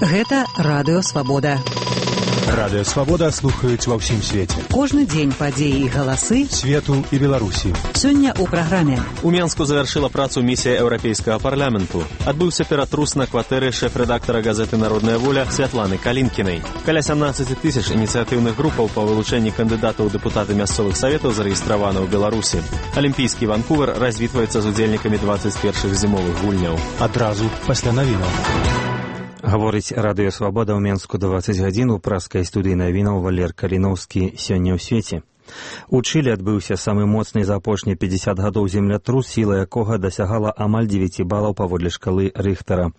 Гэта Радыё Свабода. Радыё Свабода слухаюць ва ўсім свеце. Кожны дзень падзеі і галасы свету і Беларусі. Сёння ў праграме. У Менску завяршыла працу місія Еўрапейскага парламенту. Адбыўся ператрус на кватэры шэф-рэдактара газеты «Народная воля» Святланы Калінкінай. Каля 17 тысяч ініцыятыўных групаў па вылучэнні кандыдатаў у дэпутаты мясцовых саветаў зарэгістравана ў Беларусі. Алімпійскі Ванкувер развітваецца з удзельнікамі 21-х зімовых гульняў. Адразу пасля навінаў. Гаворыць Радыё Свабода ў Менску 20 гадзін у праскай студыі навінаў Валер Каліноўскі сёння ў свеце. У Чылі адбыўся самы моцны за апошнія 50 гадоў землятрус, сіла якога дасягала амаль 9 балаў паводле шкалы Рыхтара.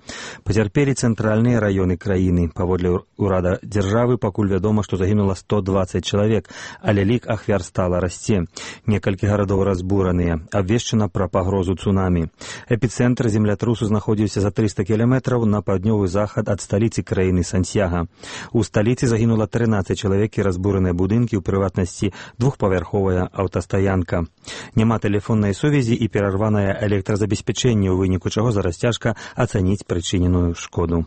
Пацярпелі цэнтральныя раёны краіны. Паводле ўрада дзяржавы пакуль вядома, што загінула 120 чалавек, але лік ахвяр стала расце. Некалькі гарадоў разбураныя. Абвешчана пра пагрозу цунамі. Эпіцэнтр землятрусу знаходзіўся за 300 кіламетраў на паўднёвы захад ад сталіцы краіны Сантьяга. У сталіцы загінула 13 чалавек і разбураныя будынкі, у прыватнасці двухпавярховая аўтастаянка. Няма тэлефоннай сувязі і перарванае электразабеспячэнне, у выніку чаго зараз цяжка ацаніць прычыненую шкоду.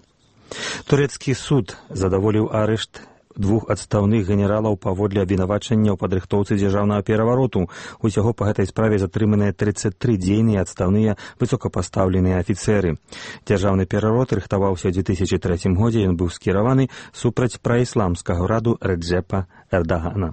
Турэцкі суд задаволіў арышт двух адстаўных генералаў паводле абвінавачання ў падрыхтоўцы дзяржаўнага перавароту. Усяго па гэтай справе затрыманыя 33 дзейныя адстаўныя высокапастаўленыя афіцэры. Дзяржаўны пераварот рыхтаваўся ў 2003 годзе, ён быў скіраваны супраць праісламскага ўраду Рэджэпа Эрдагана.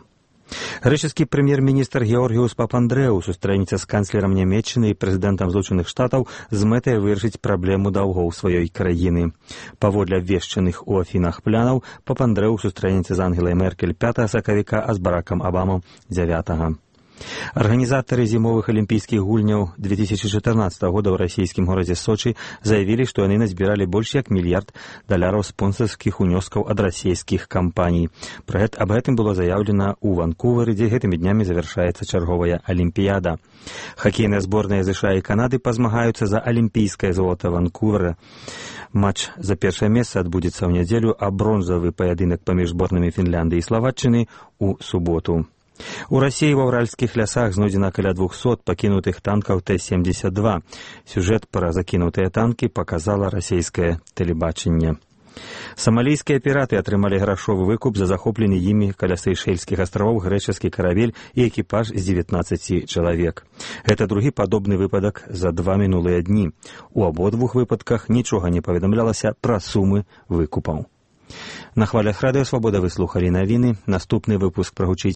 Грэчаскі прэм'ер-міністр Георгіус Папандрэу сустрэнецца з канцлерам Нямецчыны і прэзідэнтам Злучаных Штатаў з мэтай вырашыць праблему даўгоў сваёй краіны. Паводле абвешчаных у Афінах планаў, Папандрэу сустрэнецца з Ангелай Меркель 5 сакавіка, а з Баракам Абамам 9. Арганізатары зімовых алімпійскіх гульняў 2014 года ў расійскім горадзе Сочы заявілі, што яны назбіралі больш як $1 мільярд спонсарскіх унёскаў ад расійскіх кампаній. Аб гэтым было заяўлена ў Ванкувері, дзе гэтымі днямі завяршаецца чарговая алімпіяда. Хакейныя зборныя США і Канады пазмагаюцца за алімпійскае золата Ванкувера. Матч за першае месца адбудзецца ў нядзелю, а бронзавы паядынак паміж зборнымі Фінляндыі і Славаччыны ў суботу. У Расіі ва ўральскіх лясах знойдзена каля 200 пакінутых танкаў Т-72. Сюжэт пра закінутыя танкі паказала расійскае тэлебачанне. Самалійскія піраты атрымалі грашовы выкуп за захоплены імі каля Сейшэльскіх астравоў грэчаскі каравель і экіпаж з 19 чалавек. Гэта другі падобны выпадак за 2 мінулыя дні. У абодвух выпадках нічога не паведамлялася пра сумы выкупаў. На хвалях Радыё Свабода вы слухалі навіны. Наступны выпуск прагучыць